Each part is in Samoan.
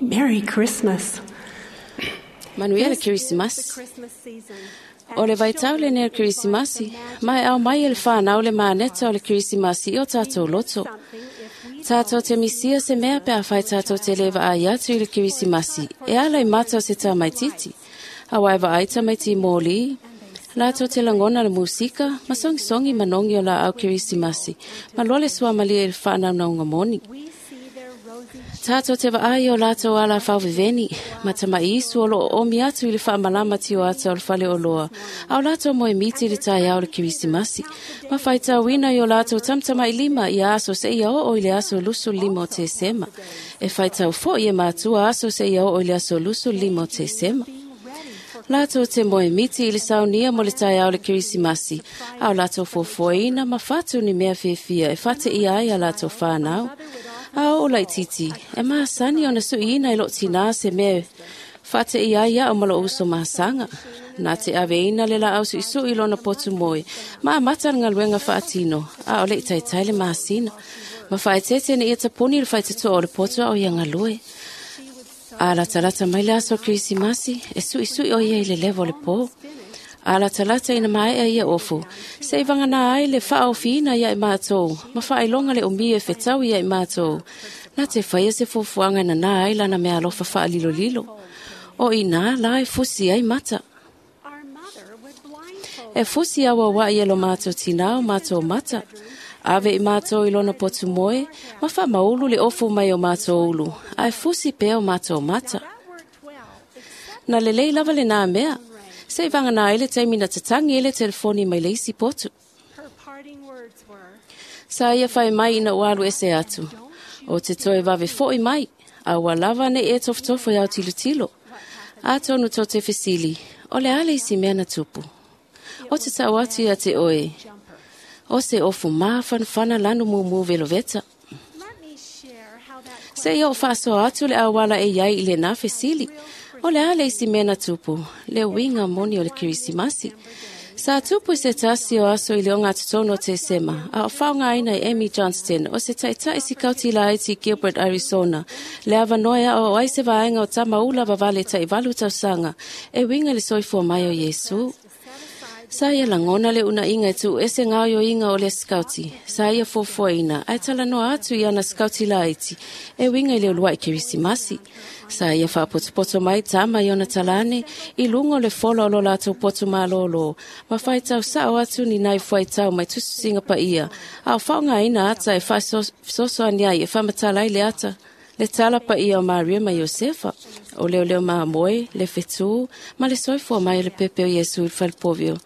Merry Christmas. Manuia le Kerisimasi. O le vaitau lenei o le Kerisimasi, ma e aumai e le whanau le maneta o le Kerisimasi i o tātou loto. Tātou te misia se mea pe a whai tātou te lewa ai atu i le Kerisimasi, e ala i mata o se tamaititi. A wai vaai tamaiti mōli, lātou te langona le musika, ma songisongi manongi o la au Kerisimasi, ma loa le suamalia i le whaanaungaunga moni. Tātou te vaai o lātou ala whauveveni, ma tama isu o loo omi atu i le whaamalama ti o ata o le fale o loa, a o lātou moe miti le tai au le Kerisimasi, ma whaitauina i o lātou tamtama i lima i a aso se ia o i le aso 25 o Tesema. E whaitau fo i e mātua aso se ia o i le aso 25 o Tesema. Lātou te moe miti i le saunia mo le tai au le Kerisimasi, a o lātou fofoina ma whatu ni mea whiwhia e whate i ai a lātou whānau. A o laititi, e maasani ona suiina i lo tina se mea whate i ai o malo uso maasanga. Nā te ave ina le la au sui i lona potu moe, ma amata le galuega faatino, a o le i taitai le masina. Ma faaeteete ina ia tapuni le faitetoa o le poto a o ia galue. A latalata mai le aso Kerisimasi, e suisui o ia i le lewa o le pō. A latalata ina maea ia ofu, se i vagana ai le faaofiina ia i mātou, ma faailoga le umia e fetau ia i mātou. Na te whaia se fuafuaga na nā ai lana mea alofa faalilolilo. O ina la e fusi ai mata. E fusi aua wa ia lo mātou tinā o mātou mata. Ave i mātou i lona potu moe, ma whaamaulu le ofu mai o mātou ulu, a e fusi pea o mātou mata. Na lelei lava le nā mea, se i vagana ai le taimi na tatangi e le telefoni mai le isi potu. Sa ia whai mai ina ualu ese atu. O te toe vave foi mai, a ua lava ne e tofotofo i au tilotilo. A tonu tō te fesili, o le ale isi mea na tupu. O te tau atu ia te oe, o se ofu māwhanwhana lanu mumu veloveta. Se i o whaasoa atu le awala e iai i le nā fesili, o le ale isi mea na tupu, le uiga moni o le Kerisimasi. Sa tupu i se tasi o aso i le onga totonu o Tesema, a o whaongaina e Amy Johnston o se taitai sikauti laiti Gilbert, Arizona, le awanoa a o ai se vaenga o tamaula vavale tai valu tausaga, e winga le soifua mai o Iesu. Sa ia langona le unainga e tu ese ngaoioiga o le skauti, sa ia fofoina, ae talanoa atu i ana skauti laiti, e winga i le uluai Kerisimasi. Sa ia faapotopoto mai tama i ona talane, i luga o le fola o lo latou poto malōlō, ma faitau sao atu ni nai fuaitau mai tusitusiga paia, a o faaaogaina ata e faasosoani ai e faamatala ai le ata, le tala paia o Maria ma Iosefa, o leoleo mamoe, le fetū, ma le soifua mai o le pepe o Iesu i le falepovi o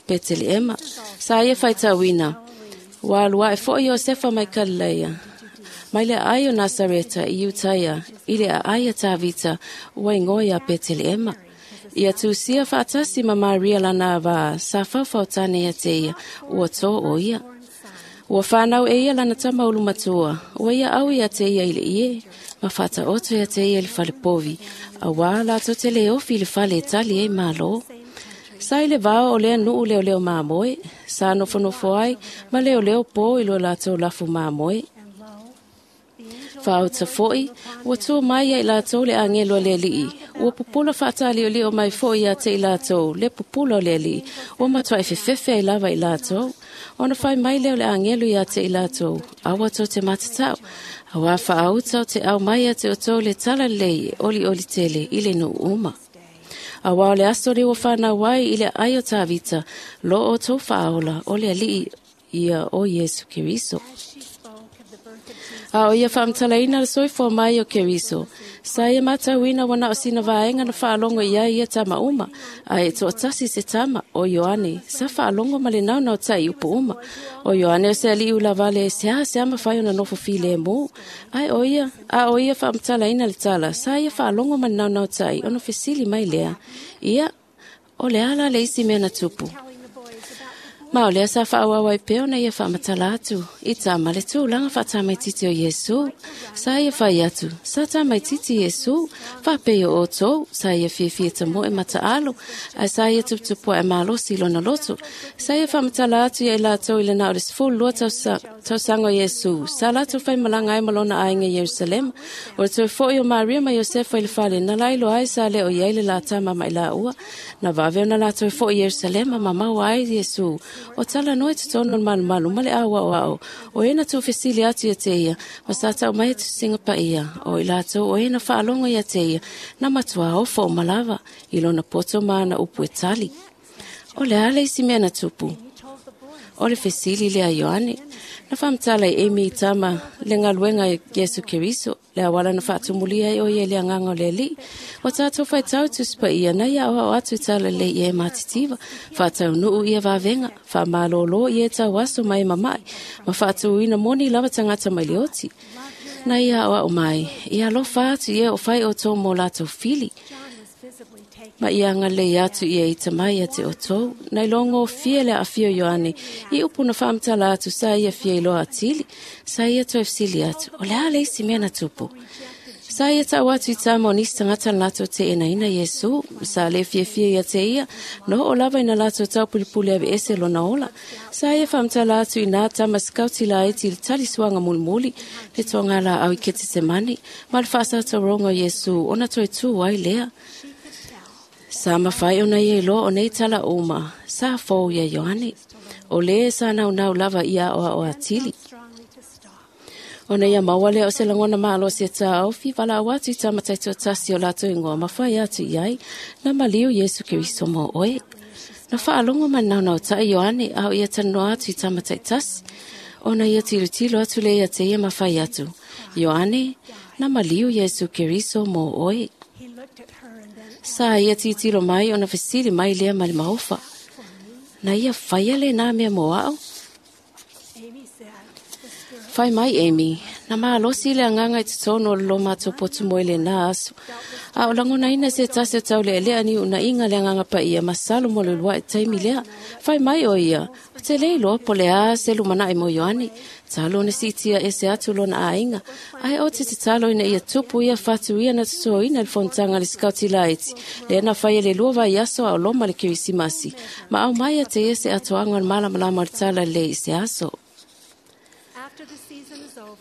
Peteleema. Sa ia faitauina, ua alu ae foʻi Iosefa mai Kalileia, mai le aai o Nasareta i Iutaia, i le aai a Tavita, ua igoa ia Peteleema. Ia tusia faatasi ma Maria lana avā, sa faufautane ia te ia, ua tō o ia. Ua whanau e ia lana tama ulu matua, ua ia au ia te ia i le ie, ma whataoto ia te ia i le falepovi, a wā lātou te le ofi i le fale e tali e malo. Sa i le vao o lea nuu leo leo māmoe, sa nofonofo ai, ma leo leo pō i lo lātou lafu māmoe. Whaauta foi, ua tua mai ia i lātou le angelo a le alii, ua pupula whaataliolio mai foi ia te i lātou, le pupula o le alii, ua matua e fefefe ai lava i lātou. Ona whai mai leo le angelo ia te i lātou, aua tō te matatau, a wā whaauta o te au mai a te o tō le tala lei e oli oli tele i le nuu uma. A wā o le aso le ua whanau ai i le ai o Tavita, lo o tō whaola o le alii ia o Iesu Keriso. A o ia whaamtalaina le soifua mai o Keriso, sa ia matauina wana o sina vaenga na whaalongo ia ia tama uma, a e toatasi se tama o Ioane, sa whaalongo ma le nauna o tai upu uma. O Ioane o se alii ulavale, se a se ama whai o na nofo file e mō. Ai o ia, a o ia whaamtalaina le tala, sa ia whaalongo ma le nauna o tai, ona fesili mai lea. Ia, o le ala le isi mea na tupu. Ma o lea sa faaauau ai pea ona ia faamatala atu i tama le tulaga faatamaititi o Iesu. Sa ia fai atu, sa tamaititi Iesu, faapei o outou, sa ia fiafia tamoe ma taalo, ae sa ia tuputupuae malosi i lona loto. Sa ia faamatala atu ia i latou i le na o le 12 tausaga o Iesu, sa latou faimalaga ai ma lona aiga i Ierusalema. O le toe foi o Maria ma Iosefa i le fale, na lailoa ai sa le o i ai le la tama ma i laua. Na vave ona latou foi i Ierusalema ma maua ai Iesu. O talanoa i totonu o le malumalu ma le auaoao, o e na tuufesili atu ia te ia, ma sa tau mai e tusiga paia, o i latou o e na faalogo ia te ia, na matua ofo uma lava, i lona poto ma ana upu e tali. O le a le isi mea na tupu? O le fesili lea a Ioane. Na faamatala i Amy i tama le galuega i Iesu Keriso, le auala na faatumulia ai o ia i le agaga o le Alii. O tatou faitau i Tusi Paia na ia aoao atu i talalelei ia e matitiva, faataunuu ia vavega, faamalōlō ia e tauaso ma e mama'i, ma faatuina moni lava tagata mai le oti. Na ia aoao mai, ia alofa atu ia o fai outou mo latou fili. Ma ia agalelei atu ia i tama ia te outou. Na iloa gofie le aafia o Ioane i upu na faamatala atu sa ia fia iloa atili. Sa ia toe fesili atu, o le a le isi mea na tupu? Sa ia tau atu i tama o nisi tagata na latou teenaina Iesu, sa le fiafia ia te ia, na oo lava ina latou taupulipuli aveese lona ola. Sa ia faamatala atu i nā tama sikauti laiti i le talisuaga mulimuli, le toagalaau i Ketesemane, ma le faasataroga o Iesu ona toe tū ai lea. Sa mafai ona ia iloa o nei tala uma, sa fou ia Ioane. O le sa naunau lava ia aoao atili. Ona ia maua lea o se lagona malosi e taofi, valaau atu i tama taitoatasi o latou ingoa ma fai atu i ai, na maliu Iesu Keriso mo oe. Na faalogo ma naunautai Ioane a o ia talanoa atu i tama taitasi. Ona ia tilotilo atu lea ia te ia ma fai atu, Ioane, na maliu Iesu Keriso mo oe. Sa ia tilotilo mai ona fesili mai lea ma le maofa. Na ia faia lenā mea mo au? Fai mai Amy, na malosi le agaga i totonu o le lo matou potu moe i lenā aso. A o lagonaina se tasi o taulealea ni unaiga le agaga paia ma salo mo le uluai taimi lea. Fai mai o ia, o te le iloa po o le a se lumanai mo Ioane. Talo ona siitia ese atu lona aiga, ae o te tatalo ina ia tupu ia fatu ia na totoina i le fonotaga a le Sikauti Laiti, lea na faia le 2 vaiaso a o loma le Kerisimasi, ma aumai ia te ia se atoaga o le malamalama o le talalelei i se aso.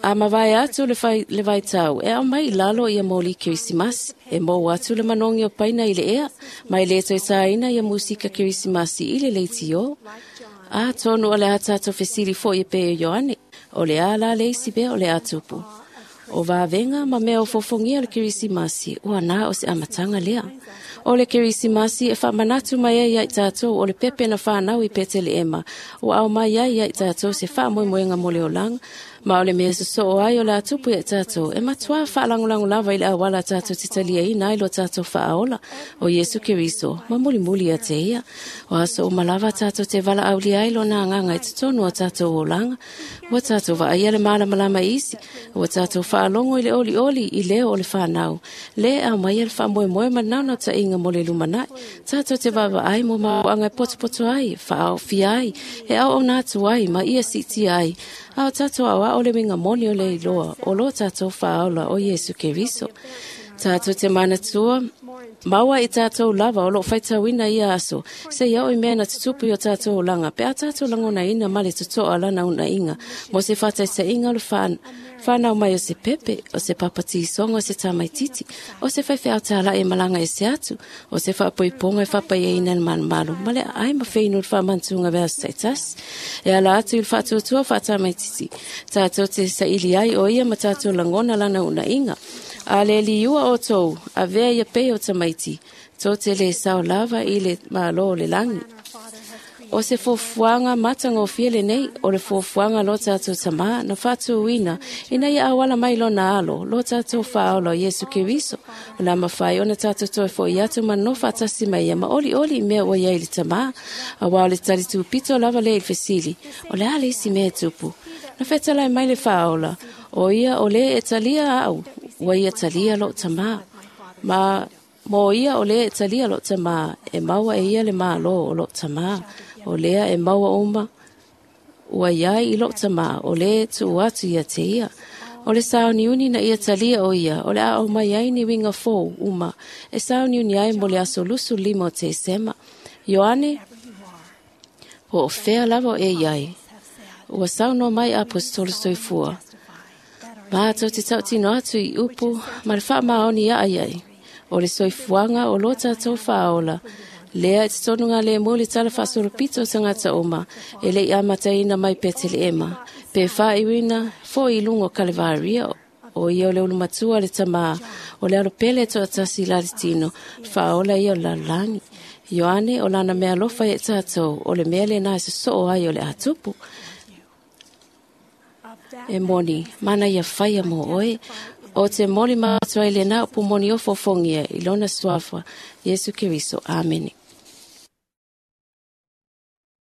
A mavae atu le, fai, le vaitau, e aumai i lalo ia moli Kerisimasi, e mou atu le manogi o paina i le ea, ma e le toe tāina ia musika Kerisimasi i le leitio. Atonu o le a tatou fesili foi e pei o Ioane, o le a la le isi mea o le a tupu. O vavega ma mea o fofogia o le Kerisimasi, ua na o se amataga lea. O le Kerisimasi e faamanatu mai ai ia i tatou o le pepe na fanau i Peteleema, ua aumai ai ia i tatou se faamoemoega mo le olaga, ma o le mea sosoo ai o le a tupu ia i tatou, e matuā faalagolago lava i le auala tatou te taliaina ai lo tatou faaola, o Iesu Keriso, ma mulimuli ia te ia. O aso uma lava tatou te valaaulia ai lona agaga i totonu o tatou olaga. Ua tatou vaaia le malamalama i isi, ua tatou faalogo i le olioli i leo o le fanau, le aumaia le faamoemoe ma le naunautaiga mo le lumanai. Tatou te vaavaai mo mafuaaga e potopoto ai, faaofia ai, e auauna atu ai ma ia siitia ai, a o tatou aoao le uiga moni o le iloa o lo tatou faaola o Iesu Keriso. Tatou te manatua, maua i tatou lava o loo faitauina ia aso, se ia oo i mea na tutupu i o tatou olaga, pe a tatou lagonaina ma le totoa lana unaiga, mo se faataitaiga o le whanau mai o se pepe, o se papatisoga o se tamaititi, o se faifeau tāla'i e malaga ese atu, o se faapoipoga e faapaiaina i le malumalu, ma le aai ma feinu i le faamanatuga o aso taitasi. E ala atu i le faatuatua faatamaititi, tatou te saili ai o ia ma tatou lagona lana unaiga. A le liua outou, avea ia pei o tamaiti, tou te le sao lava i le Malo o le lagi. O se fuafuaga matagofie lenei, o le fuafuaga lo tatou Tamā na faatuina ina ia auala mai lona alo, lo tatou Faaola o Iesu Keriso, o le a mafai ona tatou toe fo'i atu ma nonofo faatasi mai ia ma olioli i mea ua i ai le Tamā. Auā o le talitūpito lava lea i le fesili, o le a le isi mea e tupu? Na fetalai mai le Faaola, o ia o le e talia au, ua ia talia lou Tamā. Ma Mo ia o lea e talia lo tamā, e maua e ia le malo o lo tamā, o lea e maua uma, ua iai i lo tamā, o lea e tuu atu ia te ia. O le sauniuni na ia talia o ia, o le a o mai ai ni winga fou uma, e sauniuni ai mo le aso 25 o Tesema. Ioane, po o fea lava o e iai. Ua saunoa mai Aposetolo soifua. Mātou te tautino atu i upu ma le faamaoni ia ai ai. O le soifuaga o lo tātou faaola. Lea e te tonu ngā le mo le tala faasolopito o tagata uma e le i amataina mai Peteleema. Pe whaiwina fo i lungo Kalevaria o ia o le ulumatua le tamā o le alopele toatasi la le tino faaola ia o lalagi. Ioane o lana mea alofa e tātou o le mea le nā e sosoo ai o le atupu. E moni, mana ia whaia mō oe, o te moli mātua i le nā upu moni o fofongia i lona suafa, Iesu Keriso. Amene.